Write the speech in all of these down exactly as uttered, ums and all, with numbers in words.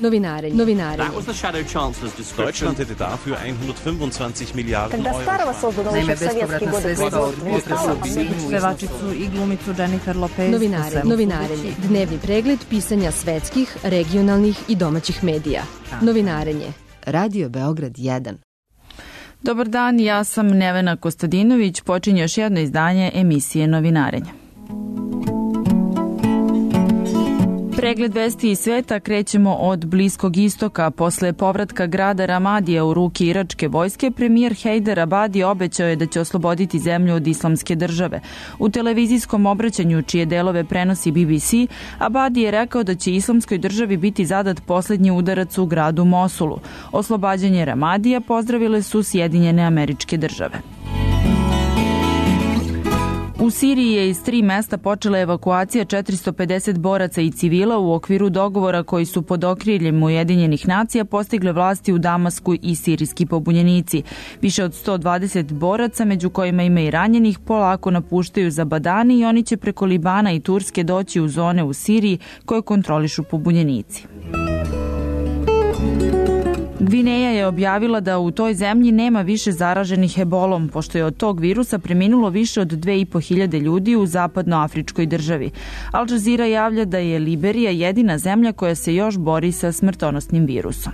Novinarenje. Novinarenje. Deutschland hätte dafür hundertfünfundzwanzig Milliarden Euro. Naime, bespovratna sredstva od Pevačicu i glumicu Jennifer Lopez. Novinarenje. Novinarenje. Dnevni pregled pisanja svetskih, regionalnih i domaćih medija. Novinarenje. Radio Beograd jedan. Dobar dan, ja sam Nevena Kostadinović. Počinje još jedno izdanje emisije Novinarenje. Pregled vesti iz sveta krećemo od Bliskog istoka. Posle povratka grada Ramadija u ruke iračke vojske, premijer Hejder Abadi obećao je da će osloboditi zemlju od islamske države. U televizijskom obraćanju, čije delove prenosi B B C, Abadi je rekao da će islamskoj državi biti zadat posljednji udarac u gradu Mosulu. Oslobađanje Ramadija pozdravile su Sjedinjene Američke Države. U Siriji je iz tri mesta počela evakuacija četiristo pedeset boraca i civila u okviru dogovora koji su pod okriljem Ujedinjenih nacija postigle vlasti u Damasku i sirijski pobunjenici. Više od sto dvadeset boraca, među kojima ima i ranjenih, polako napuštaju Zabadani i oni će preko Libana i Turske doći u zone u Siriji koje kontrolišu pobunjenici. Gvineja je objavila da u toj zemlji nema više zaraženih ebolom, pošto je od tog virusa preminulo više od dve i po hiljade ljudi u zapadnoafričkoj državi. Al Jazeera javlja da je Liberija jedina zemlja koja se još bori sa smrtonosnim virusom.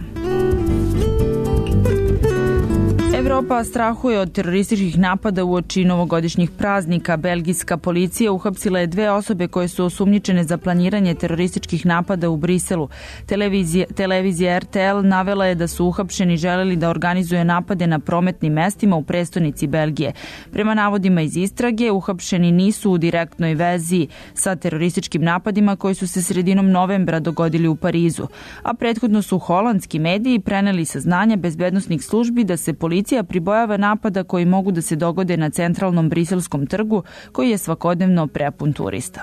Evropa strahuje od terorističkih napada uoči novogodišnjih praznika. Belgijska policija uhapsila je dve osobe koje su osumnjičene za planiranje terorističkih napada u Briselu. Televizija, televizija R T L navela je da su uhapšeni želeli da organizuje napade na prometnim mestima u prestonici Belgije. Prema navodima iz istrage, uhapšeni nisu u direktnoj vezi sa terorističkim napadima koji su se sredinom novembra dogodili u Parizu. A prethodno su holandski mediji preneli saznanja bezbednosnih službi da se policija pribojava napada koji mogu da se dogode na centralnom briselskom trgu koji je svakodnevno prepun turista.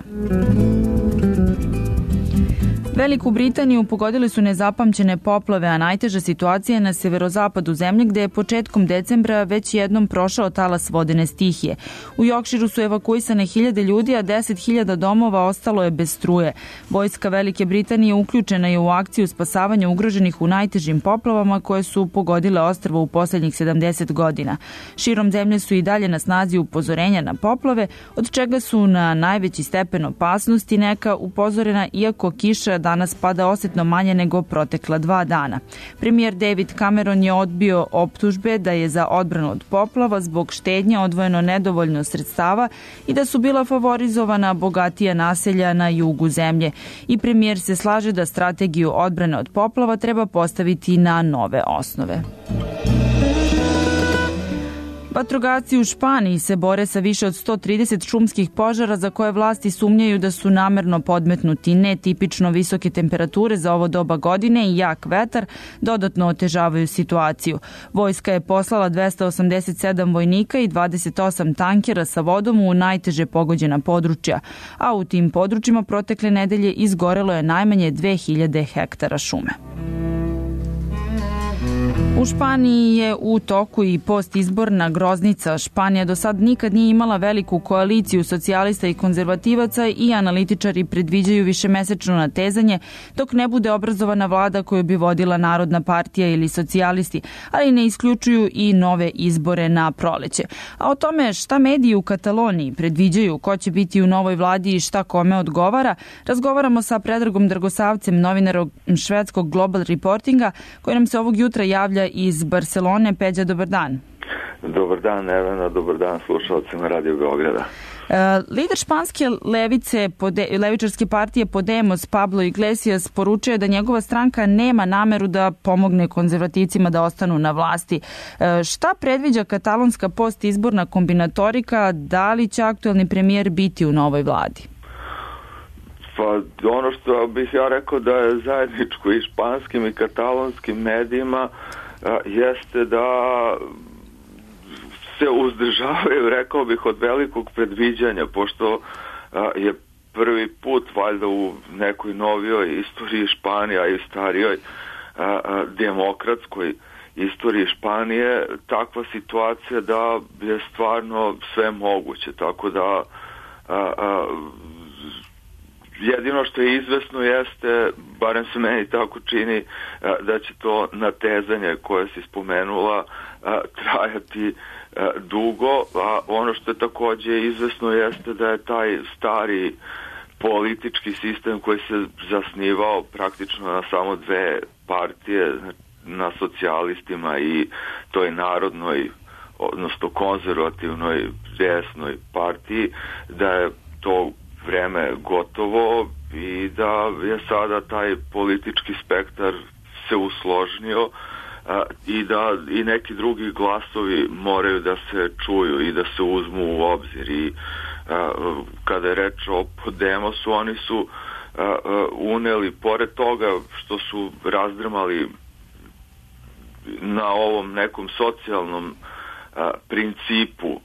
Veliku Britaniju pogodile su nezapamćene poplave, a najteža situacija je na severozapadu zemlje gde je početkom decembra već jednom prošao talas vodene stihije. U Yorkshiru su evakuisane hiljade ljudi, a deset hiljada domova ostalo je bez struje. Vojska Velike Britanije uključena je u akciju spasavanja ugroženih u najtežim poplavama koje su pogodile ostrvo u posljednjih sedamdeset godina. Širom zemlje su i dalje na snazi upozorenja na poplave, od čega su na najveći stepen opasnosti neka upozorena, iako kiša danas pada osjetno manje nego protekla dva dana. Premijer David Cameron je odbio optužbe da je za odbranu od poplava zbog štednje odvojeno nedovoljno sredstava i da su bila favorizovana bogatija naselja na jugu zemlje. I premijer se slaže da strategiju odbrane od poplava treba postaviti na nove osnove. Vatrogasci u Španiji se bore sa više od sto trideset šumskih požara za koje vlasti sumnjaju da su namerno podmetnuti. Netipično visoke temperature za ovo doba godine i jak vetar dodatno otežavaju situaciju. Vojska je poslala dvesta osamdeset sedam vojnika i dvadeset osam tankera sa vodom u najteže pogođena područja, a u tim područjima protekle nedelje izgorelo je najmanje dve hiljade hektara šume. U Španiji je u toku i postizborna groznica. Španija do sad nikad nije imala veliku koaliciju socijalista i konzervativaca i analitičari predviđaju višemesečno natezanje dok ne bude obrazovana vlada koju bi vodila Narodna partija ili socijalisti, ali ne isključuju i nove izbore na proleće. A o tome šta mediji u Kataloniji predviđaju, ko će biti u novoj vladi i šta kome odgovara, razgovaramo sa Predragom Dragosavcem, novinarom švedskog Global Reportinga, koji nam se ovog jutra javlja iz Barcelone. Peđa, dobar dan. Dobar dan, Nevena, dobar dan slušalcima Radio Beograda. Uh, lider španske levice, pode, levičarske partije Podemos, Pablo Iglesias, poručuje da njegova stranka nema nameru da pomogne konzervativcima da ostanu na vlasti. Uh, šta predviđa katalonska postizborna kombinatorika, da li će aktuelni premijer biti u novoj vladi? Pa ono što bih ja rekao da je zajedničko i španskim i katalonskim medijima a, jeste da se uzdržavaju, rekao bih, od velikog predviđanja, pošto a, je prvi put valjda u nekoj novijoj istoriji Španije, a i starijoj a, a, demokratskoj istoriji Španije takva situacija da je stvarno sve moguće, tako da a, a, jedino što je izvesno jeste, barem se meni tako čini, da će to natezanje koje si spomenula trajati dugo, a ono što je takođe izvesno jeste da je taj stari politički sistem koji se zasnivao praktično na samo dve partije, na socijalistima i toj narodnoj, odnosno konzervativnoj desnoj partiji, da je to vreme gotovo i da je sada taj politički spektar se usložnio i da i neki drugi glasovi moraju da se čuju i da se uzmu u obzir. I kada je reč o Podemosu, oni su uneli, pored toga što su razdrmali na ovom nekom socijalnom principu,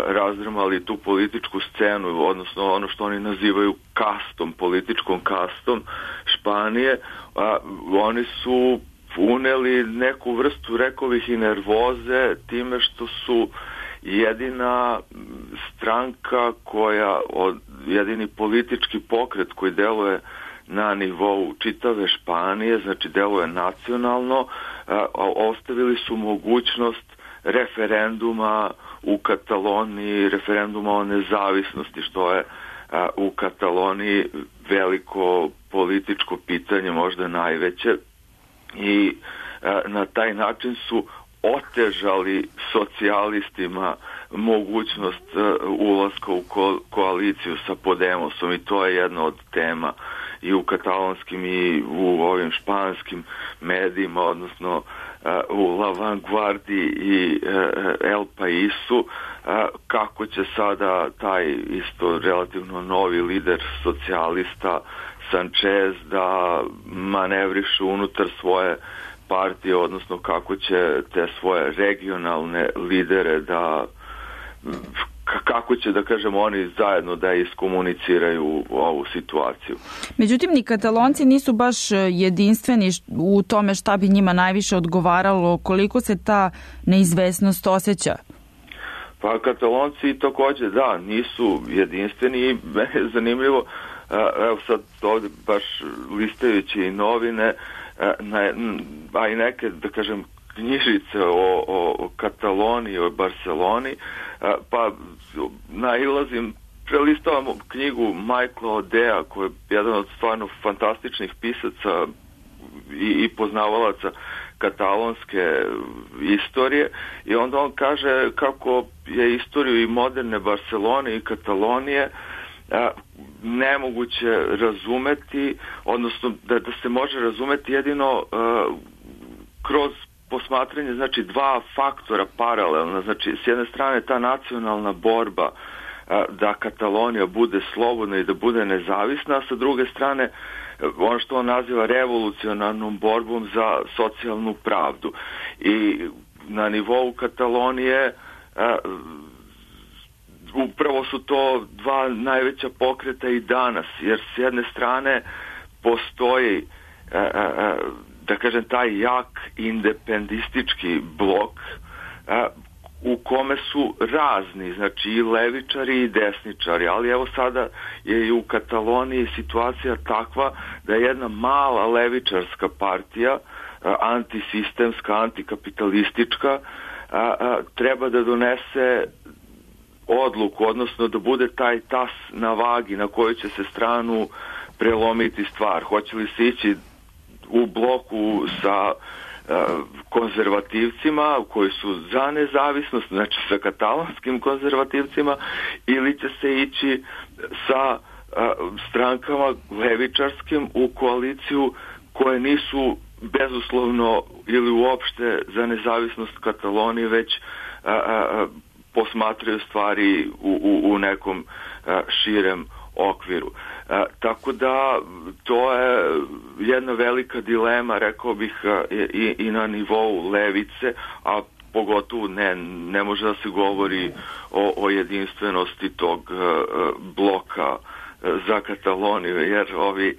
razdrmali tu političku scenu, odnosno ono što oni nazivaju kastom, političkom kastom Španije, oni su uneli neku vrstu, rekao bih, i nervoze time što su jedina stranka koja, jedini politički pokret koji deluje na nivou čitave Španije, znači deluje nacionalno, ostavili su mogućnost referenduma u Kataloniji, referenduma o nezavisnosti, što je u Kataloniji veliko političko pitanje, možda najveće, i na taj način su otežali socijalistima mogućnost ulaska u ko- koaliciju sa Podemosom, i to je jedna od tema i u katalonskim i u ovim španskim medijima, odnosno u La Vanguardi i El Paisu, kako će sada taj isto relativno novi lider socijalista Sanchez da manevriše unutar svoje partije, odnosno kako će te svoje regionalne lidere da, kako će, da kažemo, oni zajedno da iskomuniciraju ovu situaciju. Međutim, ni Katalonci nisu baš jedinstveni u tome šta bi njima najviše odgovaralo, koliko se ta neizvesnost osjeća. Pa Katalonci takođe, da, nisu jedinstveni i meni je zanimljivo, evo sad ovde baš listajući i novine, a i neke, da kažem, knjižice o, o, o Kataloniji, o Barceloni, pa nailazim, prelistavam knjigu Michaela Odea, koji je jedan od stvarno fantastičnih pisaca i, i poznavalaca katalonske istorije, i onda on kaže kako je istoriju i moderne Barcelone i Katalonije nemoguće razumeti, odnosno da, da se može razumeti jedino uh, kroz posmatranje, znači, dva faktora paralelna. Znači, s jedne strane ta nacionalna borba uh, da Katalonija bude slobodna i da bude nezavisna, a sa druge strane uh, ono što on naziva revolucionarnom borbom za socijalnu pravdu. I na nivou Katalonije uh, upravo su to dva najveća pokreta i danas, jer s jedne strane postoji, da kažem, taj jak independistički blok u kome su razni, znači i levičari i desničari, ali evo sada je i u Kataloniji situacija takva da je jedna mala levičarska partija, antisistemska, antikapitalistička, treba da donese odluku, odnosno da bude taj tas na vagi na kojoj će se stranu prelomiti stvar. Hoće li se ići u bloku sa uh, konzervativcima koji su za nezavisnost, znači sa katalonskim konzervativcima, ili će se ići sa uh, strankama levičarskim u koaliciju koje nisu bezuslovno ili uopšte za nezavisnost Katalonije, već uh, uh, posmatraju stvari u, u, u nekom a, širem okviru. A, tako da to je jedna velika dilema, rekao bih, a, i, i na nivou levice, a pogotovo ne, ne može da se govori o, o jedinstvenosti tog a, bloka za Kataloniju, jer ovi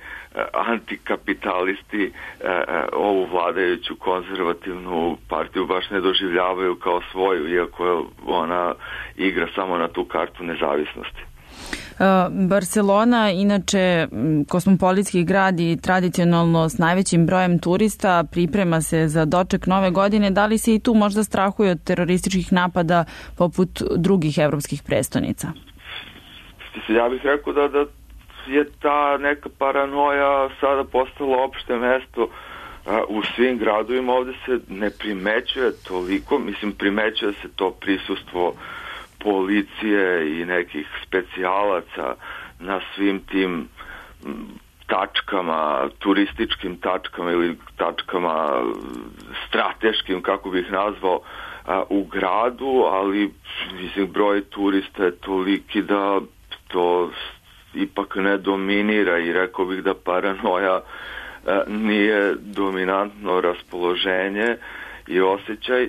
antikapitalisti ovu vladajuću konzervativnu partiju baš ne doživljavaju kao svoju, iako ona igra samo na tu kartu nezavisnosti. Barcelona, inače kosmopolitski grad i tradicionalno s najvećim brojem turista, priprema se za doček nove godine. Da li se i tu možda strahuje od terorističkih napada poput drugih evropskih prestonica? Ja bih rekao da, da je ta neka paranoja sada postala opšte mesto u svim gradovima. Ovde se ne primećuje toliko, mislim primećuje se to prisustvo policije i nekih specijalaca na svim tim tačkama, turističkim tačkama ili tačkama strateškim, kako bih nazvao, u gradu, ali mislim broj turista je toliki da to ipak ne dominira i rekao bih da paranoja nije dominantno raspoloženje i osjećaj,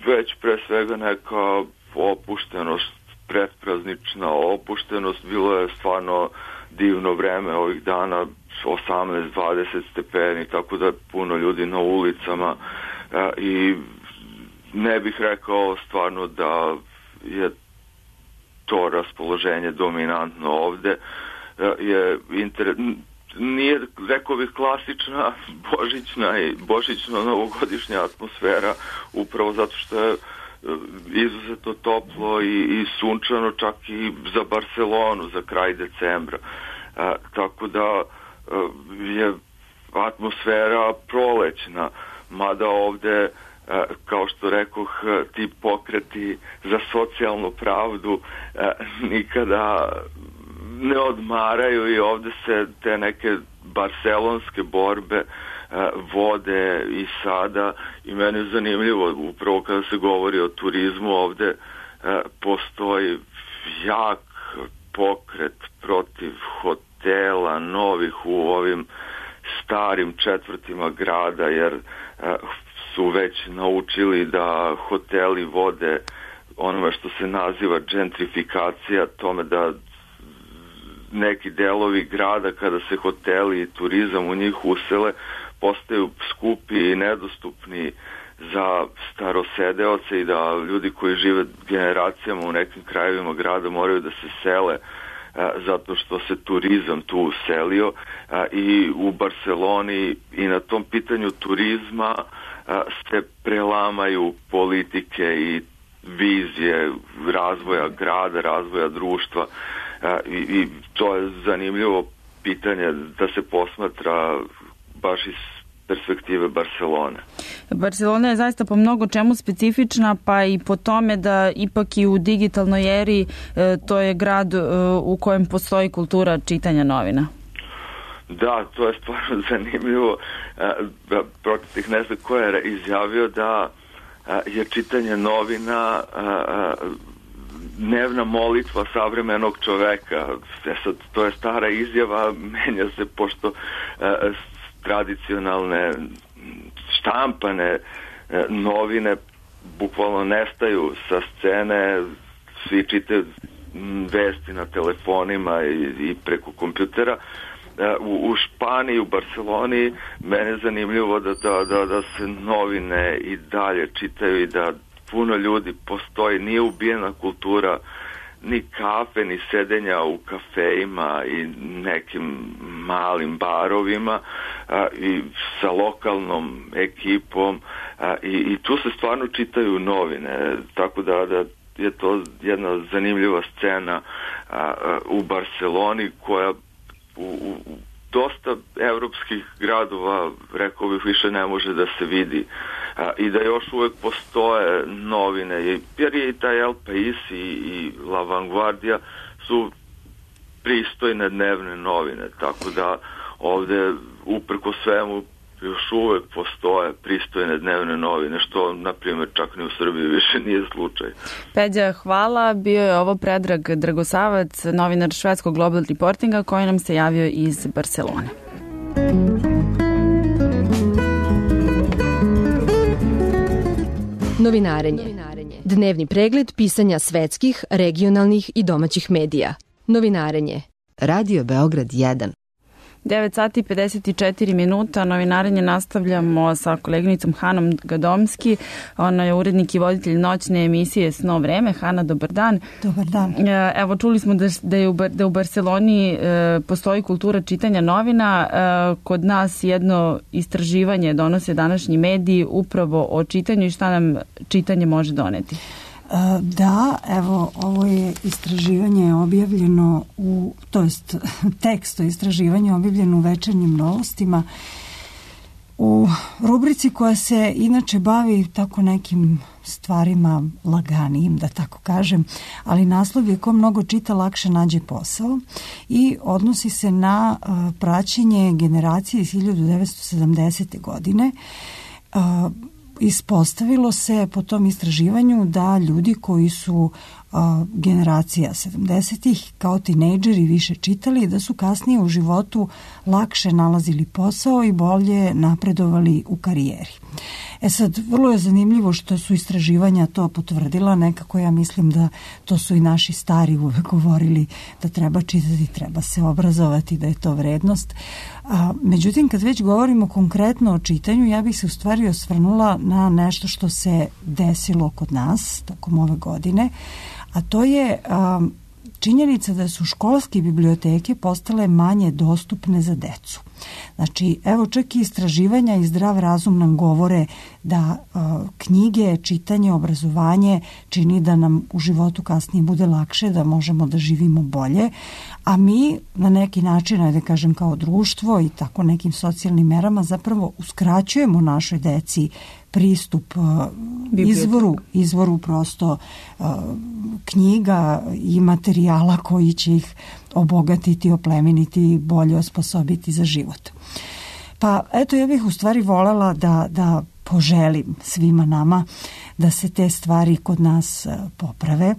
već pre svega neka opuštenost, predpraznična opuštenost. Bilo je stvarno divno vreme ovih dana, osamnaest dvadeset stepeni, tako da je puno ljudi na ulicama i ne bih rekao stvarno da je to raspoloženje dominantno ovde. Je inter... Nije, rekao bih, klasična božićna i božićno-novogodišnja atmosfera, upravo zato što je izuzetno toplo i, i sunčano, čak i za Barcelonu za kraj decembra. A, tako da a, je atmosfera prolećna, mada ovde, a, kao što rekoh, ti pokreti za socijalnu pravdu a, nikada ne odmaraju i ovde se te neke barcelonske borbe vode i sada i meni je zanimljivo upravo kada se govori o turizmu ovde postoji jak pokret protiv hotela novih u ovim starim četvrtima grada jer su već naučili da hoteli vode onome što se naziva gentrifikacija, tome da neki delovi grada kada se hoteli i turizam u njih usele postaju skupi i nedostupni za starosedeoce i da ljudi koji žive generacijama u nekim krajevima grada moraju da se sele a, zato što se turizam tu uselio a, i u Barceloni i na tom pitanju turizma a, se prelamaju politike i vizije razvoja grada, razvoja društva. I, i to je zanimljivo pitanje da se posmatra baš iz perspektive Barcelone. Barcelona je zaista po mnogo čemu specifična, pa i po tome da ipak i u digitalnoj eri e, to je grad e, u kojem postoji kultura čitanja novina. Da, to je stvarno zanimljivo. E, protiv ne znam ko je izjavio da e, je čitanje novina e, dnevna molitva savremenog čoveka. E sad, to je stara izjava, menja se pošto e, tradicionalne štampane e, novine bukvalno nestaju sa scene, svi čitaju vesti na telefonima i, i preko kompjutera. E, u, u Španiji, u Barceloni, mene je zanimljivo da, da, da, da se novine i dalje čitaju i da puno ljudi postoji, nije ubijena kultura ni kafe, ni sedenja u kafejima i nekim malim barovima a, i sa lokalnom ekipom a, i, i tu se stvarno čitaju novine, tako da, da je to jedna zanimljiva scena a, a, u Barceloni koja u, u dosta evropskih gradova, rekao bih, više ne može da se vidi a, i da još uvek postoje novine, jer je i taj El País i, i La Vanguardia su pristojne dnevne novine, tako da ovde uprko svemu još uvek postoje pristojne dnevne novine, što, na primjer, čak ni u Srbiji više nije slučaj. Peđa, hvala. Bio je ovo Predrag Dragosavac, novinar švedskog Global Reportinga, koji nam se javio iz Barcelone. Novinarenje. Dnevni pregled pisanja svetskih, regionalnih i domaćih medija. Novinarenje. Radio Beograd jedan. devet sati i pedeset četiri minuta, novinarenje nastavljamo sa koleginicom Hanom Gadomski. Ona je urednik i voditelj noćne emisije Sno vreme. Hana, dobar dan. Dobar dan. Evo, čuli smo da, da, je u, da u Barseloni e, postoji kultura čitanja novina. E, kod nas jedno istraživanje donose današnji mediji upravo o čitanju i šta nam čitanje može doneti. Da, evo, ovo je istraživanje objavljeno u, to jest tekst o istraživanju objavljeno u Večernjim novostima u rubrici koja se inače bavi tako nekim stvarima laganijim, da tako kažem, ali naslov je ko mnogo čita lakše nađe posao i odnosi se na uh, praćenje generacije iz hiljadu devetsto sedamdesete. godine. Uh, Ispostavilo se po tom istraživanju da ljudi koji su a, generacija sedamdesetih kao tinejdžeri više čitali, da su kasnije u životu lakše nalazili posao i bolje napredovali u karijeri. E sad, vrlo je zanimljivo što su istraživanja to potvrdila, nekako ja mislim da to su i naši stari uvek govorili da treba čitati, treba se obrazovati, da je to vrednost. A, međutim, kad već govorimo konkretno o čitanju, ja bih se u stvari osvrnula na nešto što se desilo kod nas tokom ove godine, a to je a, činjenica da su školske biblioteke postale manje dostupne za decu. Znači, evo čak i istraživanja i zdrav razum nam govore da uh, knjige, čitanje, obrazovanje čini da nam u životu kasnije bude lakše, da možemo da živimo bolje, a mi na neki način, ajde kažem kao društvo i tako nekim socijalnim merama zapravo uskraćujemo našoj deci pristup uh, izvoru, izvoru prosto uh, knjiga i materijala koji će ih obogatiti, oplemeniti i bolje osposobiti za život. Pa eto, ja bih u stvari volela da, da poželim svima nama da se te stvari kod nas uh, poprave,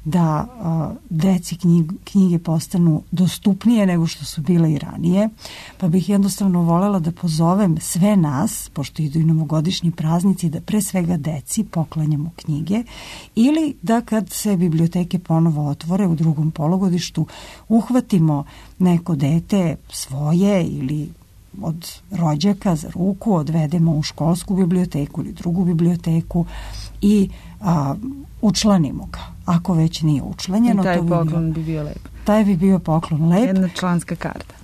da uh, deci knjig, knjige postanu dostupnije nego što su bile i ranije. Pa bih jednostavno volela da pozovem sve nas, pošto idu i novogodišnji praznici, da pre svega deci poklanjamo knjige ili da kad se biblioteke ponovo otvore u drugom polugodištu uhvatimo neko dete svoje ili od rođaka za ruku, odvedemo u školsku biblioteku ili drugu biblioteku i a, učlanimo ga. Ako već nije učlanjeno, I taj to bi poklon bio, bi bio lep. Taj bi bio poklon lep. Jedna članska karta.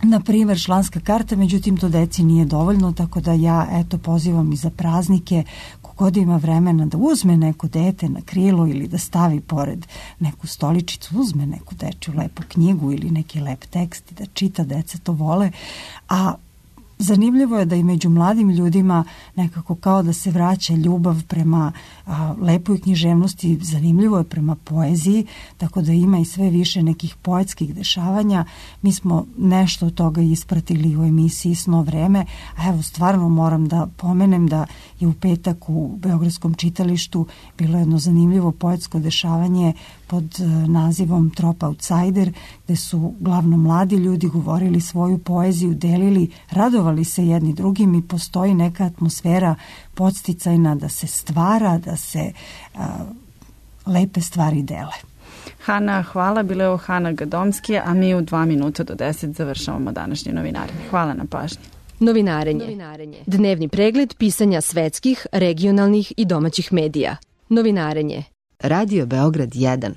Na primjer, članska karta, međutim to deci nije dovoljno, tako da ja eto pozivam i za praznike kogod ima vremena da uzme neko dete na krilo ili da stavi pored neku stoličicu, uzme neku dečju lepu knjigu ili neki lep tekst i da čita, deca to vole, a zanimljivo je da i među mladim ljudima nekako kao da se vraća ljubav prema a, lepoj književnosti, zanimljivo je prema poeziji, tako da ima i sve više nekih poetskih dešavanja. Mi smo nešto od toga ispratili u emisiji Sno vreme, a evo stvarno moram da pomenem da je u petak u Beogradskom čitalištu bilo jedno zanimljivo poetsko dešavanje pod nazivom Trop Outsider, gde su glavno mladi ljudi govorili svoju poeziju, delili, radovali se jedni drugim i postoji neka atmosfera podsticajna da se stvara, da se a, lepe stvari dele. Hana, hvala. Bila je ovo Hana Gadomski, a mi u dva minuta do deset završavamo današnje novinarenje. Hvala na pažnji. Novinarenje. Novinarenje. Dnevni pregled pisanja svetskih, regionalnih i domaćih medija. Novinarenje. Radio Beograd jedan.